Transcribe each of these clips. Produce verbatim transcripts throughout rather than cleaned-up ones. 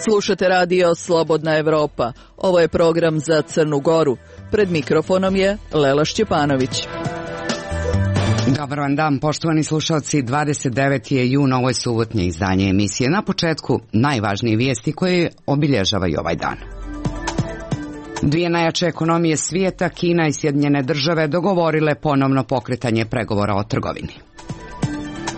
Slušate radio Slobodna Evropa. Ovo je program za Crnu Goru. Pred mikrofonom je Lela Šćepanović. Dobar vam dan, poštovani slušalci. dvadeset deveti je jun, ovo je subotnje izdanje emisije. Na početku najvažnije vijesti koje obilježavaju ovaj dan. Dvije najjače ekonomije svijeta, Kina i Sjedinjene države, dogovorile ponovno pokretanje pregovora o trgovini.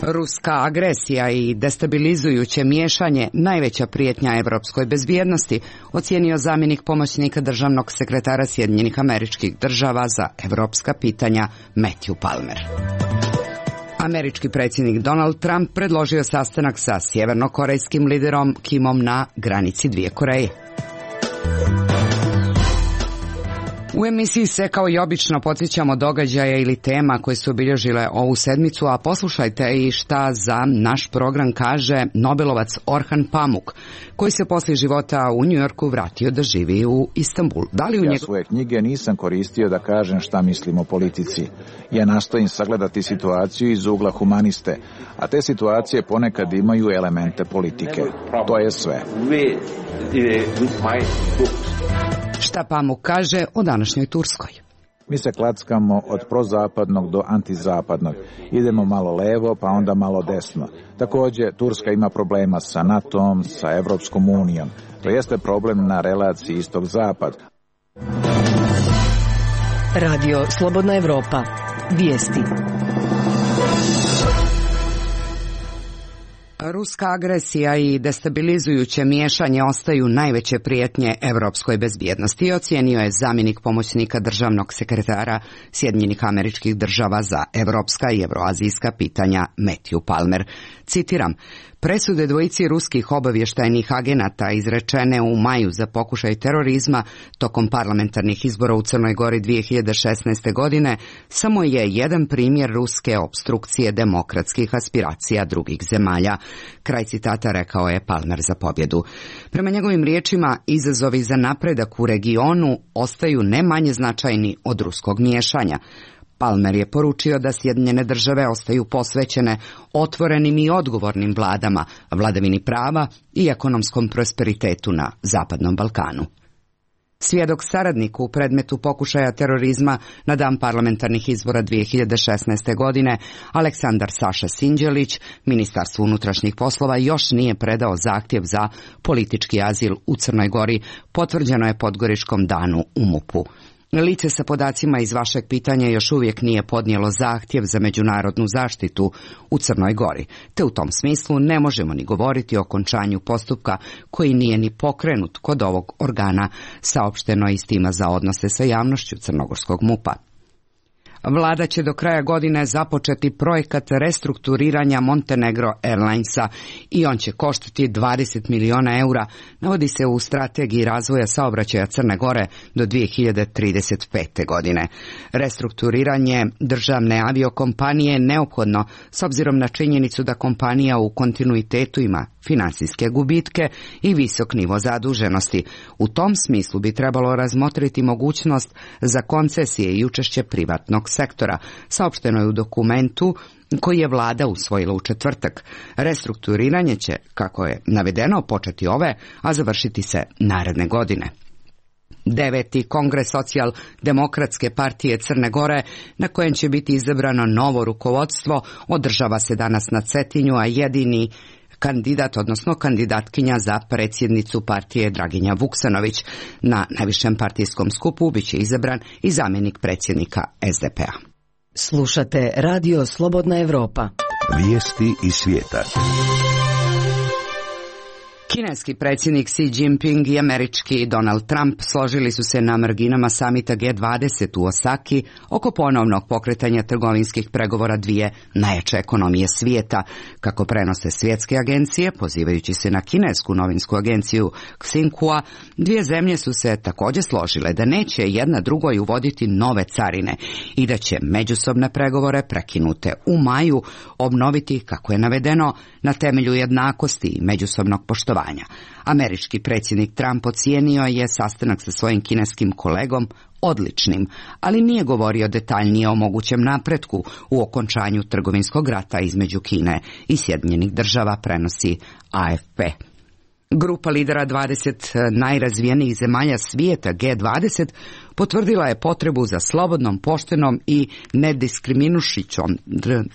Ruska agresija i destabilizujuće miješanje najveća prijetnja evropskoj bezbjednosti, ocijenio zamjenik pomoćnika državnog sekretara Sjedinjenih Američkih Država za evropska pitanja Matthew Palmer. Američki predsjednik Donald Trump predložio sastanak sa sjevernokorejskim liderom Kimom na granici dvije Koreje. U emisiji se kao i obično podsjećamo događaja ili tema koje su obilježile ovu sedmicu, a poslušajte i šta za naš program kaže Nobelovac Orhan Pamuk, koji se poslije života u Njujorku vratio da živi u Istanbulu. Da li u njeg... Ja svoje knjige nisam koristio da kažem šta mislim o politici. Ja nastojim sagledati situaciju iz ugla humaniste, a te situacije ponekad imaju elemente politike. To je sve. Šta Pamuk kaže o današnjoj Turskoj? Mi se klackamo od prozapadnog do antizapadnog. Idemo malo levo, pa onda malo desno. Također, Turska ima problema sa NATO-om, sa Evropskom unijom. To jeste problem na relaciji istog-zapad. Radio Slobodna Evropa. Vijesti. Ruska agresija i destabilizujuće miješanje ostaju najveće prijetnje evropskoj bezbjednosti, ocijenio je zamjenik pomoćnika državnog sekretara Sjedinjenih Američkih Država za evropska i evroazijska pitanja Matthew Palmer. Citiram: presude dvojici ruskih obavještajnih agenata izrečene u maju za pokušaj terorizma tokom parlamentarnih izbora u Crnoj Gori dvije hiljade šesnaeste. godine samo je jedan primjer ruske opstrukcije demokratskih aspiracija drugih zemalja. Kraj citata, rekao je Palmer za pobjedu. Prema njegovim riječima, izazovi za napredak u regionu ostaju ne manje značajni od ruskog miješanja. Palmer je poručio da Sjedinjene države ostaju posvećene otvorenim i odgovornim vladama, vladavini prava i ekonomskom prosperitetu na Zapadnom Balkanu. Svjedok saradnik u predmetu pokušaja terorizma na dan parlamentarnih izbora dvije hiljade šesnaeste. godine, Aleksandar Saša Sinđelić, Ministarstvu unutrašnjih poslova još nije predao zahtjev za politički azil u Crnoj Gori, potvrđeno je Podgoričkom danu u MUP-u. Lice sa podacima iz vašeg pitanja još uvijek nije podnijelo zahtjev za međunarodnu zaštitu u Crnoj Gori, te u tom smislu ne možemo ni govoriti o okončanju postupka koji nije ni pokrenut kod ovog organa, saopšteno iz tima za odnose sa javnošću crnogorskog MUP-a. Vlada će do kraja godine započeti projekat restrukturiranja Montenegro Airlinesa i on će koštati dvadeset miliona eura, navodi se u strategiji razvoja saobraćaja Crne Gore do dvije hiljade trideset pete. godine. Restrukturiranje državne aviokompanije je neophodno s obzirom na činjenicu da kompanija u kontinuitetu ima finansijske gubitke i visok nivo zaduženosti. U tom smislu bi trebalo razmotriti mogućnost za koncesije i učešće privatnog sektora, saopšteno je u dokumentu koji je vlada usvojila u četvrtak. Restrukturiranje će, kako je navedeno, početi ove, a završiti se naredne godine. Deveti kongres socijaldemokratske partije Crne Gore, na kojem će biti izabrano novo rukovodstvo, održava se danas na Cetinju, a jedini kandidat, odnosno kandidatkinja za predsjednicu partije Draginja Vuksanović. Na najvišem partijskom skupu biće izabran i zamjenik predsjednika es de pe-a. Slušate Radio Slobodna Evropa. Vijesti iz svijeta. Kineski predsjednik Xi Jinping i američki Donald Trump složili su se na marginama samita G dvadeset u Osaki oko ponovnog pokretanja trgovinskih pregovora dvije najjače ekonomije svijeta. Kako prenose svjetske agencije, pozivajući se na kinesku novinsku agenciju Xinhua, dvije zemlje su se također složile da neće jedna drugoj uvoditi nove carine i da će međusobne pregovore prekinute u maju obnoviti, kako je navedeno, na temelju jednakosti i međusobnog poštovanja. Američki predsjednik Trump ocijenio je sastanak sa svojim kineskim kolegom odličnim, ali nije govorio detaljnije o mogućem napretku u okončanju trgovinskog rata između Kine i Sjedinjenih Država, prenosi A F P. Grupa lidera dvadeset najrazvijenijih zemalja svijeta G dvadeset potvrdila je potrebu za slobodnom, poštenom i nediskriminušićom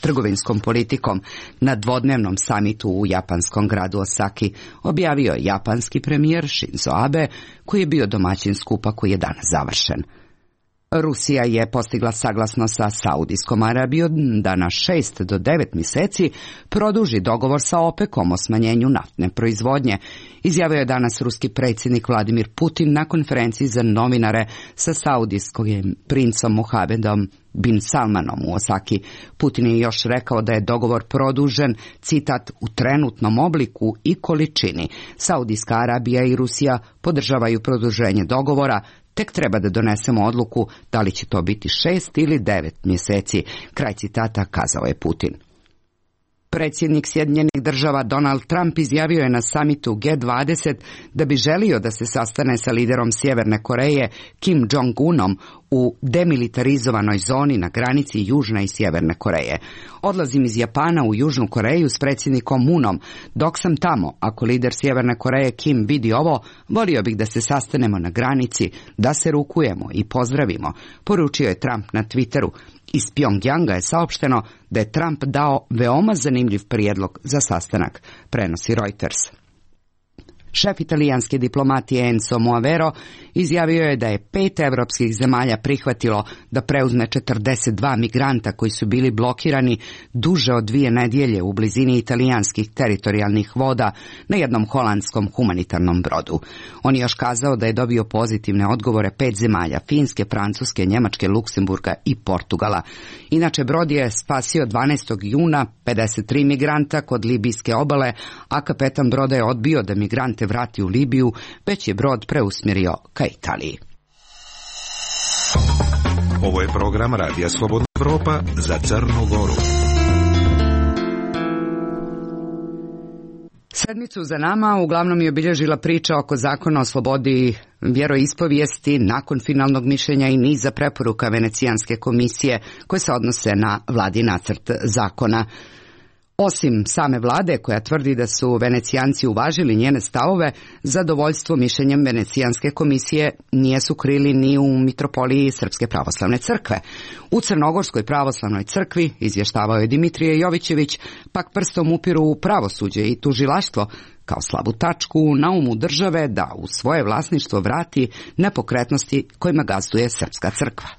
trgovinskom politikom na dvodnevnom samitu u japanskom gradu Osaki, objavio je japanski premijer Shinzo Abe, koji je bio domaćin skupa koji je danas završen. Rusija je postigla saglasnost sa Saudijskom Arabijom da na šest do devet mjeseci produži dogovor sa OPEC-om o smanjenju naftne proizvodnje, izjavio je danas ruski predsjednik Vladimir Putin na konferenciji za novinare sa saudijskim princom Mohamedom bin Salmanom u Osaki. Putin je još rekao da je dogovor produžen, citat, u trenutnom obliku i količini. Saudijska Arabija i Rusija podržavaju produženje dogovora, tek treba da donesemo odluku da li će to biti šest ili devet mjeseci, kraj citata, kazao je Putin. Predsjednik Sjedinjenih Država Donald Trump izjavio je na samitu G dvadeset da bi želio da se sastane sa liderom Sjeverne Koreje Kim Jong-unom u demilitarizovanoj zoni na granici Južne i Sjeverne Koreje. Odlazim iz Japana u Južnu Koreju s predsjednikom Moonom. Dok sam tamo, ako lider Sjeverne Koreje Kim vidi ovo, volio bih da se sastanemo na granici, da se rukujemo i pozdravimo, poručio je Trump na Twitteru. Iz Pjongjanga je saopšteno da je Trump dao veoma zanimljiv prijedlog za sastanak, prenosi Reuters. Šef italijanske diplomatije Enzo Moavero izjavio je da je pet evropskih zemalja prihvatilo da preuzme četrdeset dva migranta koji su bili blokirani duže od dvije nedjelje u blizini italijanskih teritorijalnih voda na jednom holandskom humanitarnom brodu. On je još kazao da je dobio pozitivne odgovore pet zemalja, Finske, Francuske, Njemačke, Luksemburga i Portugala. Inače, brod je spasio dvanaestog juna pedeset tri migranta kod libijske obale, a kapetan broda je odbio da migrante vrati u Libiju, već je brod preusmjerio ka Italiji. Ovo je program Radija Slobodna Evropa za Crnu Goru. Sedmicu za nama uglavnom je obilježila priča oko zakona o slobodi vjeroispovijesti nakon finalnog mišljenja i niza preporuka Venecijanske komisije koje se odnose na vladin nacrt zakona. Osim same vlade koja tvrdi da su Venecijanci uvažili njene stavove, zadovoljstvo mišljenjem Venecijanske komisije nije su krili ni u mitropoliji Srpske pravoslavne crkve. U Crnogorskoj pravoslavnoj crkvi, izvještavao je Dimitrije Jovićević, pak prstom upiru u pravosuđe i tužilaštvo kao slabu tačku na umu države da u svoje vlasništvo vrati nepokretnosti kojima gazduje Srpska crkva.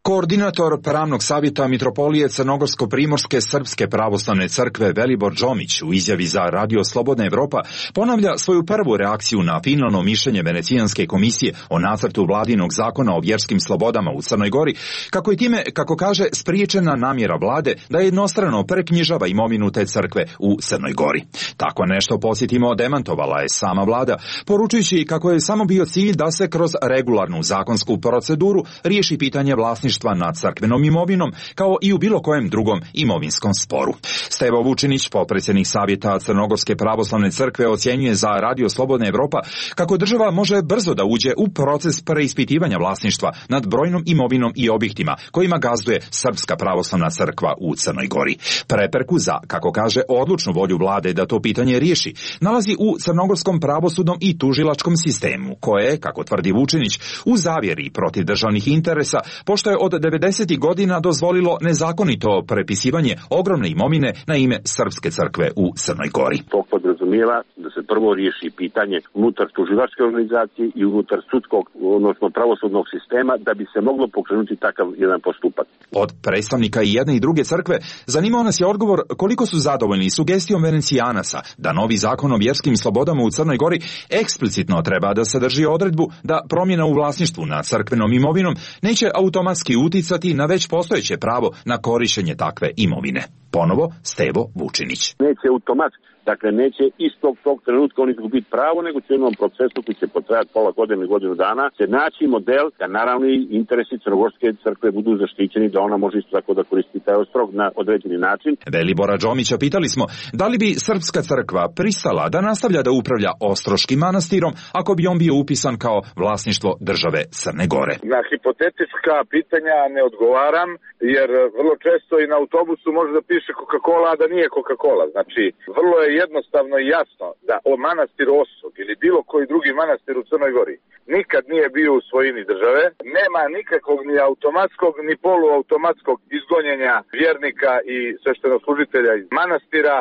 Koordinator pravnog savjeta mitropolije Crnogorsko-primorske Srpske pravoslavne crkve Velibor Džomić u izjavi za Radio Slobodna Evropa ponavlja svoju prvu reakciju na finalno mišljenje Venecijanske komisije o nacrtu vladinog zakona o vjerskim slobodama u Crnoj Gori, kako je time, kako kaže, spriječena namjera vlade da jednostrano preknjižava imovinu te crkve u Crnoj Gori. Tako nešto, podsjetimo, demantovala je sama vlada, poručujući kako je samo bio cilj da se kroz regularnu zakonsku proceduru riješi pitanje vlasništva nad crkvenom imovinom, kao i u bilo kojem drugom imovinskom sporu. Stevo Vučinić, potpredsjednik savjeta Crnogorske pravoslavne crkve, ocjenjuje za Radio Slobodna Evropa kako država može brzo da uđe u proces preispitivanja vlasništva nad brojnom imovinom i objektima kojima gazduje Srpska pravoslavna crkva u Crnoj Gori. Prepreku za, kako kaže, odlučnu volju vlade da to pitanje riješi nalazi u crnogorskom pravosudnom i tužilačkom sistemu, koje, kako tvrdi Vučinić, u zavjeri protiv državnih interesa, pošto je od devedesetih godina dozvolilo nezakonito prepisivanje ogromne imovine na ime Srpske crkve u Crnoj Gori. To podrazumijeva da se prvo riješi pitanje unutar tužilačke organizacije i unutar sudskog, odnosno pravosudnog sistema, da bi se moglo pokrenuti takav jedan postupak. Od predstavnika i jedne i druge crkve zanimao nas je odgovor koliko su zadovoljni sugestijom Venecijanasa da novi zakon o vjerskim slobodama u Crnoj Gori eksplicitno treba da sadrži odredbu da promjena u vlasništvu nad crkvenom imovinom neće automatski uticati na već postojeće pravo na korištenje takve imovine. Ponovo Stevo Vučinić. Neće automatski Dakle, neće istog tog trenutka oni biti pravo, nego će u jednom procesu koji će potrajati pola godine ili godinu dana se naći model da naravno i interesi Crnogorske crkve budu zaštićeni, da ona može isto tako da koristi taj ostrog na određeni način. Velibora Đomića pitali smo da li bi Srpska crkva pristala da nastavlja da upravlja Ostroškim manastirom ako bi on bio upisan kao vlasništvo države Crne Gore. Na hipotetička pitanja ne odgovaram, jer vrlo često i na autobusu može da piše Coca-Cola, a da nije Coca-Cola. Znači, vrlo je jednostavno i jasno da o manastir Osog ili bilo koji drugi manastir u Crnoj Gori nikad nije bio u svojini države. Nema nikakvog ni automatskog ni poluautomatskog izgonjenja vjernika i sveštenoslужitelja iz manastira.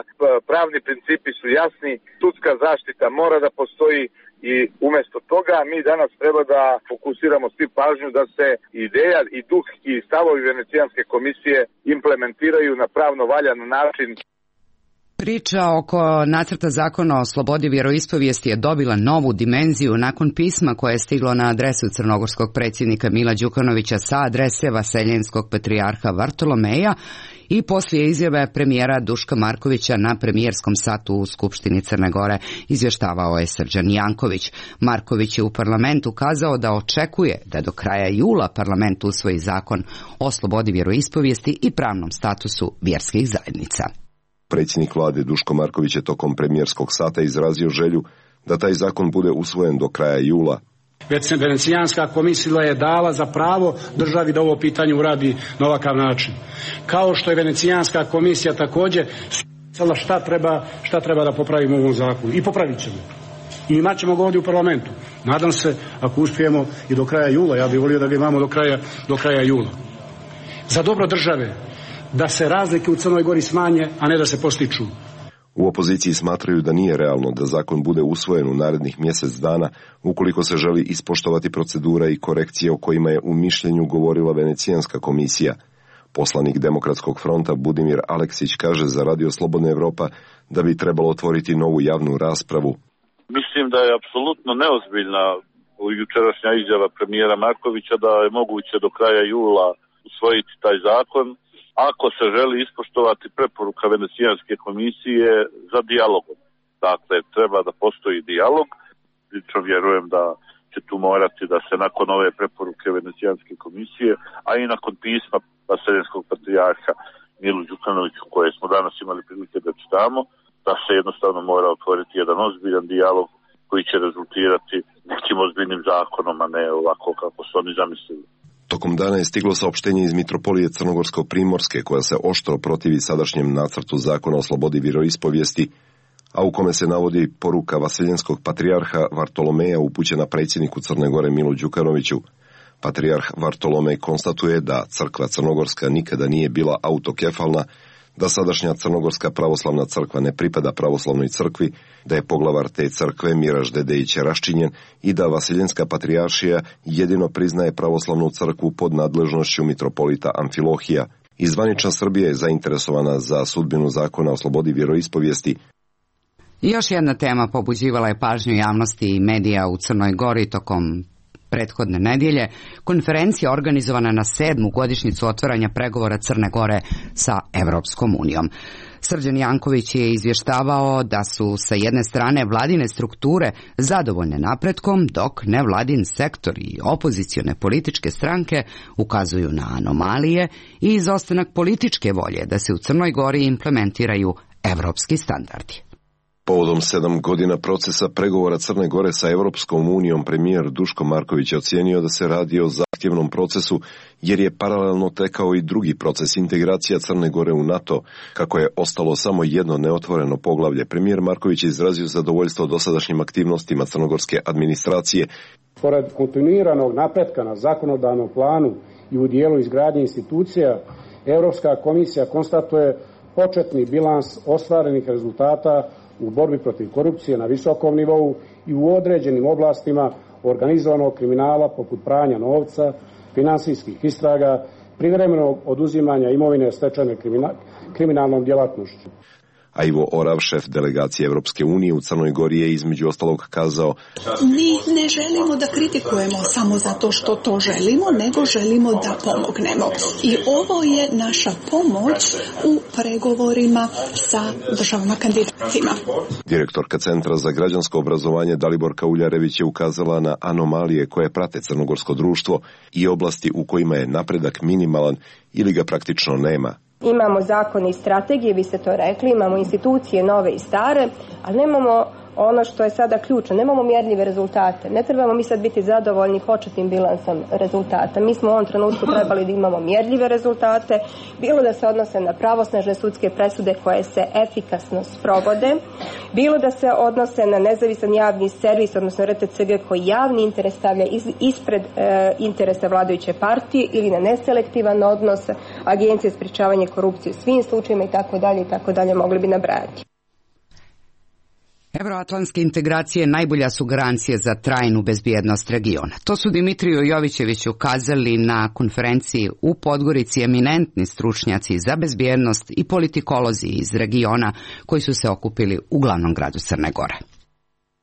Pravni principi su jasni, sudska zaštita mora da postoji i umjesto toga mi danas treba da fokusiramo svi pažnju da se ideja i duh i stavovi Venecijanske komisije implementiraju na pravno valjan način. Priča oko nacrta zakona o slobodi vjeroispovijesti je dobila novu dimenziju nakon pisma koje je stiglo na adresu crnogorskog predsjednika Mila Đukanovića sa adrese vaseljenskog patrijarha Vartolomeja i poslije izjave premijera Duška Markovića na premijerskom satu u Skupštini Crne Gore, izvještavao je Srđan Janković. Marković je u parlamentu kazao da očekuje da do kraja jula parlament usvoji zakon o slobodi vjeroispovijesti i pravnom statusu vjerskih zajednica. Predsjednik vlade Duško Marković je tokom premijerskog sata izrazio želju da taj zakon bude usvojen do kraja jula. Venecijanska komisija je dala za pravo državi da ovo pitanje uradi na ovakav način. Kao što je Venecijanska komisija također sada šta treba, šta treba da popravimo u ovom zakonu. I popravit ćemo. I imat ćemo ga ovdje u parlamentu. Nadam se, ako uspijemo i do kraja jula, ja bih volio da ga imamo do kraja, do kraja jula. Za dobro države, da se razlike u Crnoj Gori smanje, a ne da se postiču. U opoziciji smatraju da nije realno da zakon bude usvojen u narednih mjesec dana ukoliko se želi ispoštovati procedura i korekcije o kojima je u mišljenju govorila Venecijanska komisija. Poslanik Demokratskog fronta Budimir Aleksić kaže za Radio Slobodna Evropa da bi trebalo otvoriti novu javnu raspravu. Mislim da je apsolutno neozbiljna jučerašnja izjava premijera Markovića da je moguće do kraja jula usvojiti taj zakon, ako se želi ispoštovati preporuka Venecijanske komisije za dijalogom. Dakle, treba da postoji dijalog. Lično vjerujem da će tu morati da se nakon ove preporuke Venecijanske komisije, a i nakon pisma vaseljenskog patrijarha Milu Đukanoviću koje smo danas imali prilike da čitamo, da se jednostavno mora otvoriti jedan ozbiljan dijalog koji će rezultirati nekim ozbiljnim zakonom, a ne ovako kako su oni zamislili. Tokom dana je stiglo saopštenje iz Mitropolije Crnogorsko-Primorske koja se oštro protivi sadašnjem nacrtu zakona o slobodi vjeroispovijesti, a u kome se navodi poruka vaseljenskog patrijarha Vartolomeja upućena predsjedniku Crne Gore Milu Đukanoviću. Patrijarh Vartolomej konstatuje da crkva crnogorska nikada nije bila autokefalna, da sadašnja Crnogorska pravoslavna crkva ne pripada pravoslavnoj crkvi, da je poglavar te crkve Miraž Dedejić raščinjen i da Vaseljenska patrijaršija jedino priznaje pravoslavnu crkvu pod nadležnošću mitropolita Amfilohija. I zvanična Srbija je zainteresovana za sudbinu zakona o slobodi vjeroispovijesti. Još jedna tema pobuđivala je pažnju javnosti i medija u Crnoj Gori tokom prethodne nedjelje, konferencija organizovana na sedmu godišnjicu otvaranja pregovora Crne Gore sa Evropskom unijom. Srđan Janković je izvještavao da su sa jedne strane vladine strukture zadovoljne napretkom, dok nevladin sektor i opozicione političke stranke ukazuju na anomalije i izostanak političke volje da se u Crnoj Gori implementiraju evropski standardi. Povodom sedam godina procesa pregovora Crne Gore sa Evropskom unijom, premijer Duško Marković je ocijenio da se radi o zahtjevnom procesu, jer je paralelno tekao i drugi proces integracija Crne Gore u NATO, kako je ostalo samo jedno neotvoreno poglavlje. Premijer Marković je izrazio zadovoljstvo dosadašnjim aktivnostima crnogorske administracije. Pored kontinuiranog napretka na zakonodavnom planu i u dijelu izgradnje institucija, Europska komisija konstatuje početni bilans ostvarenih rezultata u borbi protiv korupcije na visokom nivou i u određenim oblastima organizovanog kriminala poput pranja novca, finansijskih istraga, privremenog oduzimanja imovine stečene kriminalnom djelatnošću. A Ivo Orav, šef delegacije Europske unije u Crnoj Gori, je između ostalog kazao: Mi ne želimo da kritikujemo samo zato što to želimo, nego želimo da pomognemo. I ovo je naša pomoć u pregovorima sa državama kandidatima. Direktorka Centra za građansko obrazovanje Daliborka Uljarević je ukazala na anomalije koje prate crnogorsko društvo i oblasti u kojima je napredak minimalan ili ga praktično nema. Imamo zakone i strategije, vi ste to rekli, imamo institucije nove i stare, ali nemamo ono što je sada ključno, nemamo mjerljive rezultate. Ne trebamo mi sad biti zadovoljni početnim bilansom rezultata. Mi smo u ovom trenutku trebali da imamo mjerljive rezultate, bilo da se odnose na pravosnažne sudske presude koje se efikasno sprovode, bilo da se odnose na nezavisan javni servis, odnosno R T C G koji javni interes stavlja iz, ispred e, interesa vladajuće partije, ili na neselektivan odnos Agencije za sprječavanje korupcije u svim slučajevima i tako dalje i tako dalje, mogli bi nabrajati. Evroatlantske integracije najbolja su garancije za trajnu bezbjednost regiona. To su Dimitriju Jovićeviću kazali na konferenciji u Podgorici eminentni stručnjaci za bezbjednost i politikolozi iz regiona koji su se okupili u glavnom gradu Crne Gore.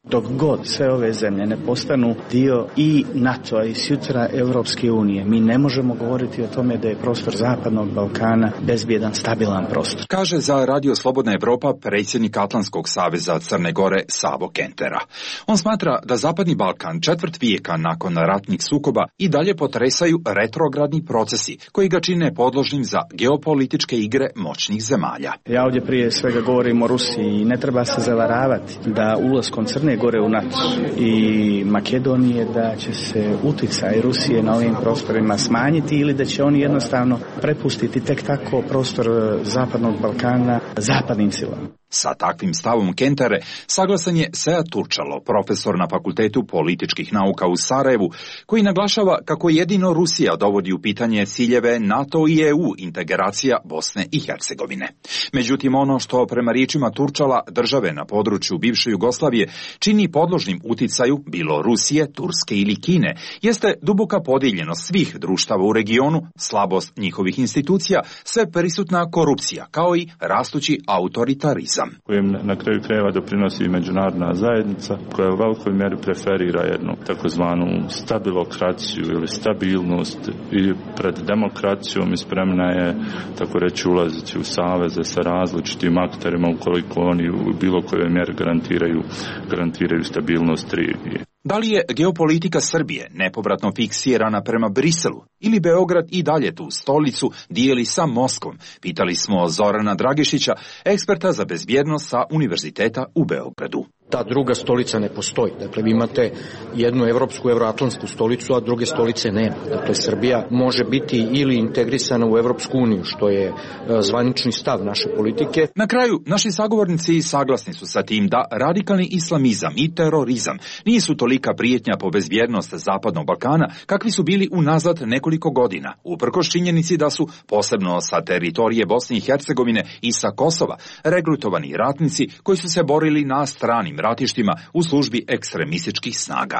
Dok god sve ove zemlje ne postanu dio i NATO-a i sutra Europske unije, mi ne možemo govoriti o tome da je prostor Zapadnog Balkana bezbjedan, stabilan prostor. Kaže za Radio Slobodna Evropa predsjednik Atlantskog saveza Crne Gore Savo Kentera. On smatra da Zapadni Balkan četvrt vijeka nakon ratnih sukoba i dalje potresaju retrogradni procesi koji ga čine podložnim za geopolitičke igre moćnih zemalja. Ja ovdje prije svega govorim o Rusiji i ne treba se zavaravati da ulaskom Crne Gore u NATO i Makedonije da će se utjecaj Rusije na ovim prostorima smanjiti ili da će oni jednostavno prepustiti tek tako prostor Zapadnog Balkana zapadnim silama. Sa takvim stavom Kentere saglasan je Sead Turčalo, profesor na Fakultetu političkih nauka u Sarajevu, koji naglašava kako jedino Rusija dovodi u pitanje ciljeve NATO i E U integracija Bosne i Hercegovine. Međutim, ono što prema riječima Turčala države na području bivše Jugoslavije čini podložnim uticaju bilo Rusije, Turske ili Kine, jeste duboka podijeljenost svih društava u regionu, slabost njihovih institucija, sve prisutna korupcija, kao i rastući autoritarizam, kojem na kraju krajeva doprinosi i međunarodna zajednica, koja u velikoj mjeri preferira jednu takozvanu stabilokraciju ili stabilnost i pred demokracijom i spremna je, tako reći, ulaziti u saveze sa različitim akterima ukoliko oni u bilo kojoj mjeri garantiraju, garantiraju stabilnost regije. Da li je geopolitika Srbije nepovratno fiksirana prema Briselu ili Beograd i dalje tu stolicu dijeli sa Moskvom? Pitali smo Zorana Dragišića, eksperta za bezbjednost sa Univerziteta u Beogradu. Ta druga stolica ne postoji. Dakle, vi imate jednu evropsku, evroatlantsku stolicu, a druge stolice nema. Dakle, Srbija može biti ili integrisana u Evropsku uniju, što je zvanični stav naše politike. Na kraju, naši sagovornici saglasni su sa tim da radikalni islamizam i terorizam nisu tolika prijetnja po bezbjednost Zapadnog Balkana kakvi su bili unazad nekoliko godina, uprkos činjenici da su, posebno sa teritorije Bosne i Hercegovine i sa Kosova, regrutovani ratnici koji su se borili na stranim ratištima u službi ekstremističkih snaga.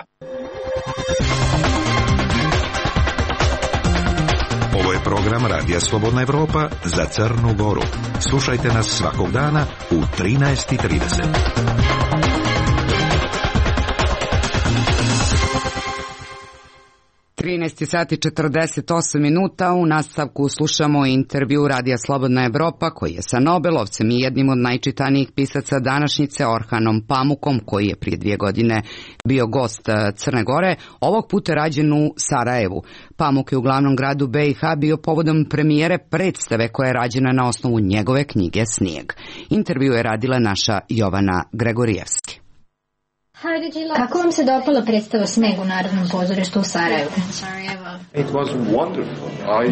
Ovo je program Radija Slobodna Evropa za Crnu Goru. Slušajte nas svakog dana u trinaest i trideset. trinaest sati četrdeset osam minuta. U nastavku slušamo intervju Radija Slobodna Evropa koji je sa Nobelovcem i jednim od najčitanijih pisaca današnjice Orhanom Pamukom, koji je prije dvije godine bio gost Crne Gore, ovog puta rađen u Sarajevu. Pamuk je u glavnom gradu B i H bio povodom premijere predstave koja je rađena na osnovu njegove knjige Snijeg. Intervju je radila naša Jovana Gregorijevski. Kako vam se dopala predstava Sneg u Narodnom pozorištu u Sarajevu?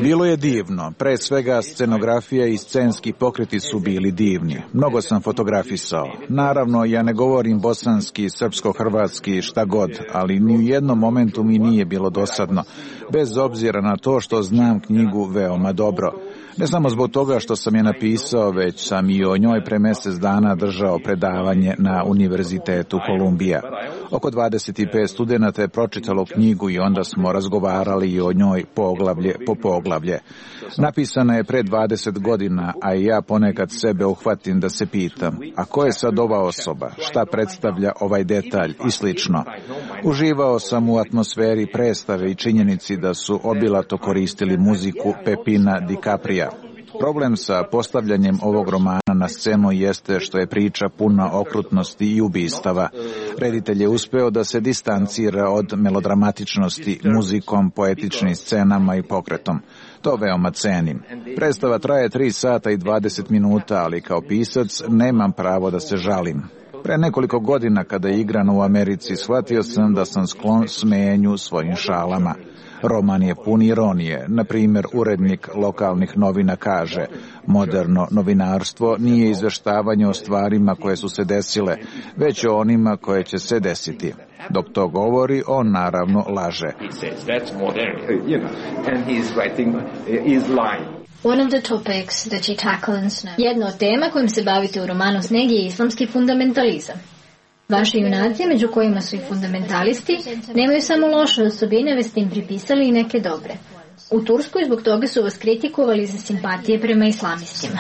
Bilo je divno. Pre svega scenografija i scenski pokreti su bili divni. Mnogo sam fotografisao. Naravno, ja ne govorim bosanski, srpsko-hrvatski, šta god, ali ni u jednom momentu mi nije bilo dosadno, bez obzira na to što znam knjigu veoma dobro. Ne samo zbog toga što sam je napisao, već sam i o njoj pre mjesec dana držao predavanje na Univerzitetu Kolumbija. Oko dvadeset pet studenata je pročitalo knjigu i onda smo razgovarali i o njoj poglavlje po poglavlje. Napisana je pre dvadeset godina, a i ja ponekad sebe uhvatim da se pitam, a ko je sad ova osoba, šta predstavlja ovaj detalj i slično. Uživao sam u atmosferi predstave i činjenici da su obilato koristili muziku Pepina DiCapria. Problem sa postavljanjem ovog romana na scenu jeste što je priča puna okrutnosti i ubistava. Reditelj je uspeo da se distancira od melodramatičnosti muzikom, poetičnim scenama i pokretom. To veoma cenim. Predstava traje tri sata i dvadeset minuta, ali kao pisac nemam pravo da se žalim. Pre nekoliko godina kada je igrano u Americi, shvatio sam da sam sklon smenju svojim šalama. Roman je pun ironije. Na primjer, urednik lokalnih novina kaže: moderno novinarstvo nije izveštavanje o stvarima koje su se desile, već o onima koje će se desiti. Dok to govori, on naravno laže. One of the topics that you tackle in Sneg. Jedna od tema kojim se bavite u romanu Sneg je islamski fundamentalizam. Vaši junaci, među kojima su i fundamentalisti, nemaju samo loše osobine, već ste im pripisali i neke dobre. U Turskoj zbog toga su vas kritikovali za simpatije prema islamistima.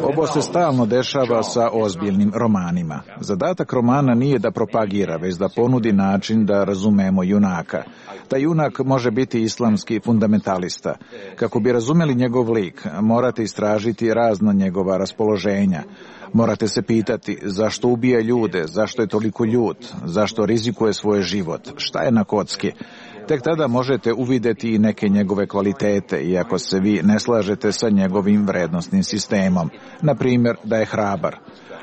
Ovo se stalno dešava sa ozbiljnim romanima. Zadatak romana nije da propagira, već da ponudi način da razumemo junaka. Taj junak može biti islamski fundamentalista. Kako bi razumeli njegov lik, morate istražiti razna njegova raspoloženja. Morate se pitati zašto ubija ljude, zašto je toliko ljut, zašto rizikuje svoj život, šta je na kocki. Tek tada možete uvideti i neke njegove kvalitete, iako se vi ne slažete sa njegovim vrednostnim sistemom. Na primjer, da je hrabar.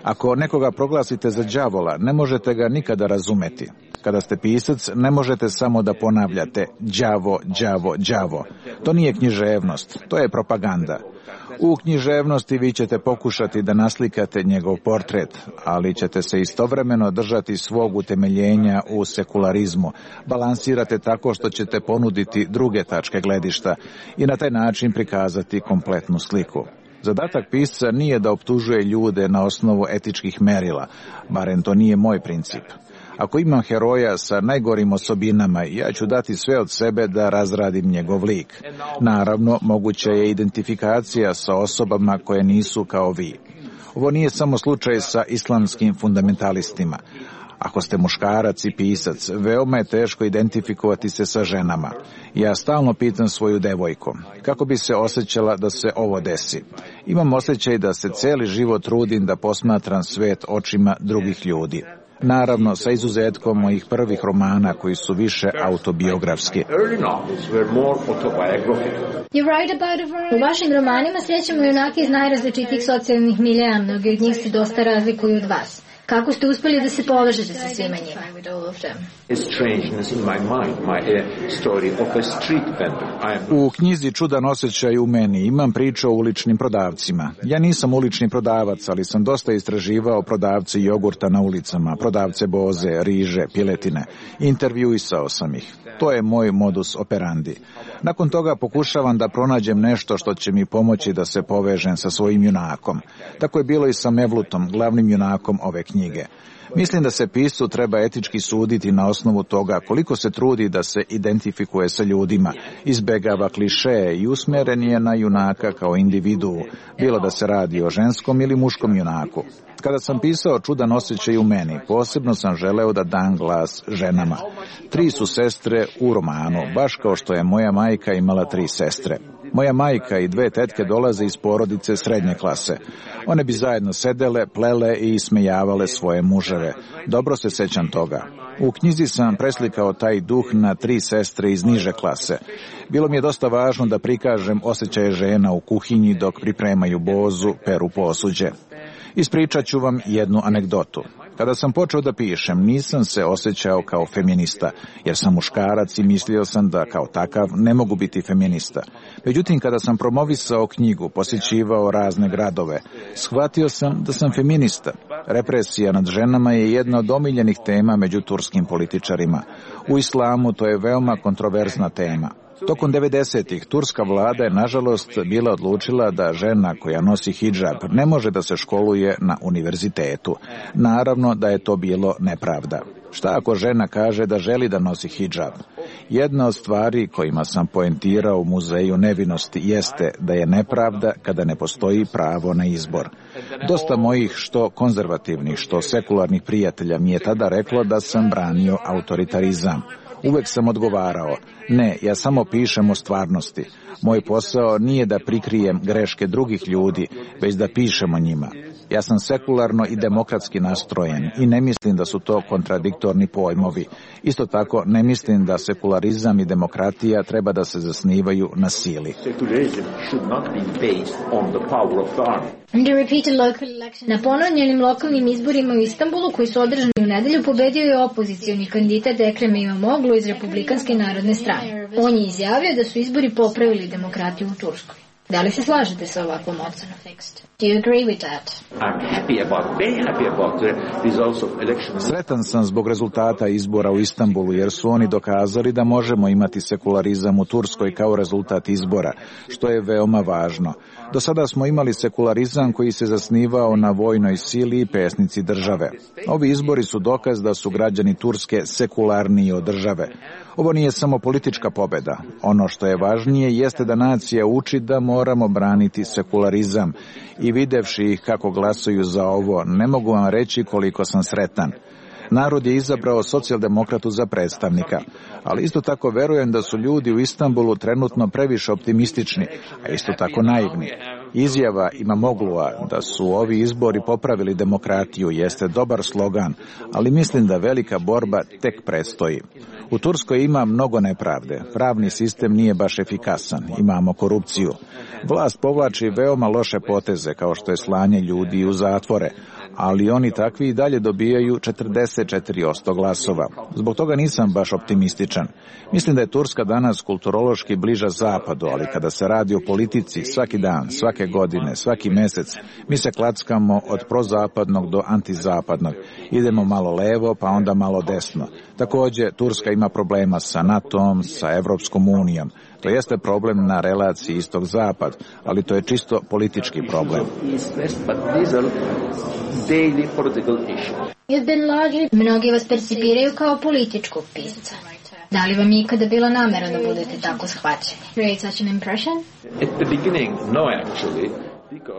Ako nekoga proglasite za đavola, ne možete ga nikada razumeti. Kada ste pisac, ne možete samo da ponavljate đavo, đavo, đavo. To nije književnost, to je propaganda. U književnosti vi ćete pokušati da naslikate njegov portret, ali ćete se istovremeno držati svog utemeljenja u sekularizmu. Balansirate tako što ćete ponuditi druge tačke gledišta i na taj način prikazati kompletnu sliku. Zadatak pisca nije da optužuje ljude na osnovu etičkih merila, barem to nije moj princip. Ako imam heroja sa najgorim osobinama, ja ću dati sve od sebe da razradim njegov lik. Naravno, moguća je identifikacija sa osobama koje nisu kao vi. Ovo nije samo slučaj sa islamskim fundamentalistima. Ako ste muškarac i pisac, veoma je teško identifikovati se sa ženama. Ja stalno pitam svoju devojku, kako bi se osjećala da se ovo desi. Imam osjećaj da se cijeli život trudim da posmatram svet očima drugih ljudi. Naravno, sa izuzetkom mojih prvih romana koji su više autobiografski. U vašim romanima srećemo junake iz najrazličitijih socijalnih miljeja, mnogi od njih se dosta razlikuju od vas. Kako ste uspjeli da se povežete sa svima njima? U knjizi Čudan osjećaj u meni imam priču o uličnim prodavcima. Ja nisam ulični prodavac, ali sam dosta istraživao prodavce jogurta na ulicama, prodavce boze, riže, piletine. Intervjuisao sam ih. To je moj modus operandi. Nakon toga pokušavam da pronađem nešto što će mi pomoći da se povežem sa svojim junakom. Tako je bilo i sa Mevlutom, glavnim junakom ove knjige. Mislim da se piscu treba etički suditi na osnovu toga koliko se trudi da se identifikuje sa ljudima, izbegava klišeje i usmjeren je na junaka kao individuu, bilo da se radi o ženskom ili muškom junaku. Kada sam pisao Čudan osjećaj u meni, posebno sam želeo da dam glas ženama. Tri su sestre u romanu, baš kao što je moja majka imala tri sestre. Moja majka i dve tetke dolaze iz porodice srednje klase. One bi zajedno sedele, plele i ismejavale svoje muževe. Dobro se sećam toga. U knjizi sam preslikao taj duh na tri sestre iz niže klase. Bilo mi je dosta važno da prikažem osjećaje žena u kuhinji dok pripremaju bozu, peru posuđe. Ispričat ću vam jednu anegdotu. Kada sam počeo da pišem, nisam se osjećao kao feminista, jer sam muškarac i mislio sam da kao takav ne mogu biti feminista. Međutim, kada sam promovisao knjigu, posjećivao razne gradove, shvatio sam da sam feminista. Represija nad ženama je jedna od omiljenih tema među turskim političarima. U islamu to je veoma kontroverzna tema. Tokom devedesetih turska vlada je nažalost bila odlučila da žena koja nosi hidžab ne može da se školuje na univerzitetu. Naravno da je to bilo nepravda. Šta ako žena kaže da želi da nosi hidžab? Jedna od stvari kojima sam poentirao u Muzeju nevinosti jeste da je nepravda kada ne postoji pravo na izbor. Dosta mojih što konzervativnih, što sekularnih prijatelja mi je tada reklo da sam branio autoritarizam. Uvek sam odgovarao, ne, ja samo pišem o stvarnosti. Moj posao nije da prikrijem greške drugih ljudi, već da pišem o njima. Ja sam sekularno i demokratski nastrojen i ne mislim da su to kontradiktorni pojmovi. Isto tako ne mislim da sekularizam i demokratija treba da se zasnivaju na sili. Na ponovljenim lokalnim izborima u Istanbulu koji su održani u nedelju pobedio je opozicioni kandidat Ekrem İmamoğlu iz Republikanske narodne strane. On je izjavio da su izbori popravili demokratiju u Turskoj. Da li se slažete sa ovakvom ocenom? Do you agree with that? I'm happy about, very happy about the results of elections. Sretan sam zbog rezultata izbora u Istanbulu, jer su oni dokazali da možemo imati sekularizam u Turskoj kao rezultat izbora, što je veoma važno. Do sada smo imali sekularizam koji se zasnivao na vojnoj sili i pesnici države. Ovi izbori su dokaz da su građani Turske sekularniji od države. Ovo nije samo politička pobeda. Ono što je važnije jeste da nacija uči da moramo braniti sekularizam i videvši ih kako glasuju za ovo, ne mogu vam reći koliko sam sretan. Narod je izabrao socijaldemokratu za predstavnika, ali isto tako verujem da su ljudi u Istanbulu trenutno previše optimistični, a isto tako naivni. Izjava İmamoğlu'a da su ovi izbori popravili demokratiju jeste dobar slogan, ali mislim da velika borba tek predstoji. U Turskoj ima mnogo nepravde, pravni sistem nije baš efikasan, imamo korupciju. Vlast povlači veoma loše poteze kao što je slanje ljudi u zatvore, ali oni takvi i dalje dobijaju četrdeset četiri posto glasova. Zbog toga nisam baš optimističan. Mislim da je Turska danas kulturološki bliža zapadu, ali kada se radi o politici, svaki dan, svake godine, svaki mesec, mi se klackamo od prozapadnog do antizapadnog. Idemo malo levo, pa onda malo desno. Takođe, Turska ima problema sa NATO-om, sa Evropskom unijom. To jeste problem na relaciji istok-zapad, ali to je čisto politički problem. Mnogi vas percipiraju kao političkog pisca. Da li vam je ikada bila namera da budete tako shvaćeni? Create such an impression? At the beginning, no actually.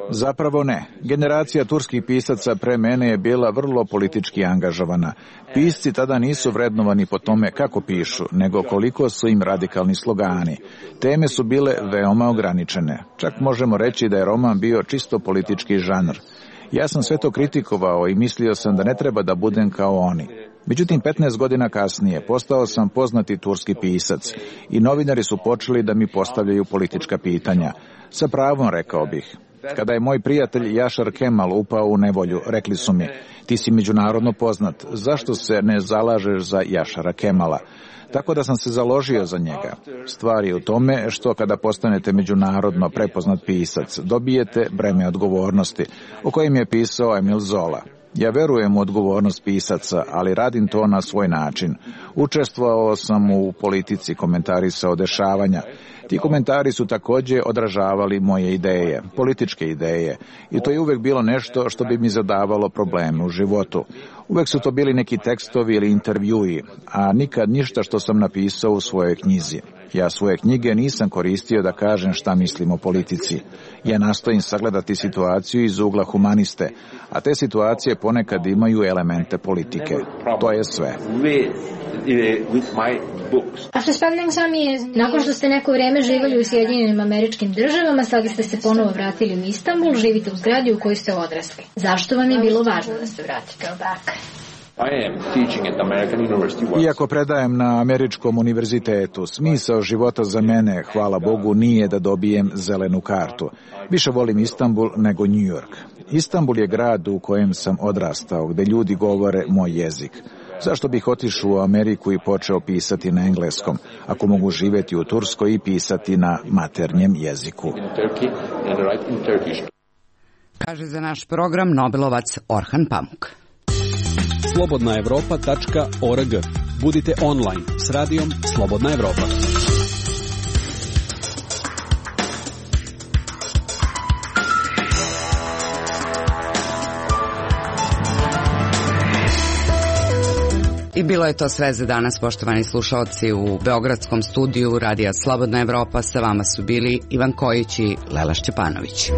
Zapravo ne. Generacija turskih pisaca pre mene je bila vrlo politički angažovana. Pisci tada nisu vrednovani po tome kako pišu, nego koliko su im radikalni slogani. Teme su bile veoma ograničene. Čak možemo reći da je roman bio čisto politički žanr. Ja sam sve to kritikovao i mislio sam da ne treba da budem kao oni. Međutim, petnaest godina kasnije postao sam poznati turski pisac i novinari su počeli da mi postavljaju politička pitanja. Sa pravom, rekao bih. Kada je moj prijatelj Yaşar Kemal upao u nevolju, rekli su mi, ti si međunarodno poznat, zašto se ne zalažeš za Yaşara Kemala? Tako da sam se založio za njega. Stvar je u tome što kada postanete međunarodno prepoznat pisac, dobijete breme odgovornosti, o kojem je pisao Emil Zola. Ja verujem u odgovornost pisaca, ali radim to na svoj način. Učestvovao sam u politici, komentarisao dešavanja. Ti komentari su takođe odražavali moje ideje, političke ideje, i to je uvek bilo nešto što bi mi zadavalo probleme u životu. Uvek su to bili neki tekstovi ili intervjui, a nikad ništa što sam napisao u svojoj knjizi. Ja svoje knjige nisam koristio da kažem šta mislim o politici. Ja nastojim sagledati situaciju iz ugla humaniste, a te situacije ponekad imaju elemente politike. To je sve. After spending some years, nakon što ste neko vreme živjeli u Sjedinjenim Američkim Državama, sada ste se ponovo vratili u Istanbul, živite u zgradi u kojoj ste odrasli. Zašto vam je bilo važno da se vratite back? Iako predajem na američkom univerzitetu, smisao života za mene, hvala Bogu, nije da dobijem zelenu kartu. Više volim Istanbul nego New York. Istanbul je grad u kojem sam odrastao, gde ljudi govore moj jezik. Zašto bih otišao u Ameriku i počeo pisati na engleskom, ako mogu živjeti u Turskoj i pisati na maternjem jeziku? Kaže za naš program Nobelovac Orhan Pamuk. slobodna evropa tačka org. Budite online s radijom Slobodna Evropa. I bilo je to sve za danas, poštovani slušalci. U beogradskom studiju Radija Slobodna Evropa sa vama su bili Ivan Kojić i Lela Šćepanović.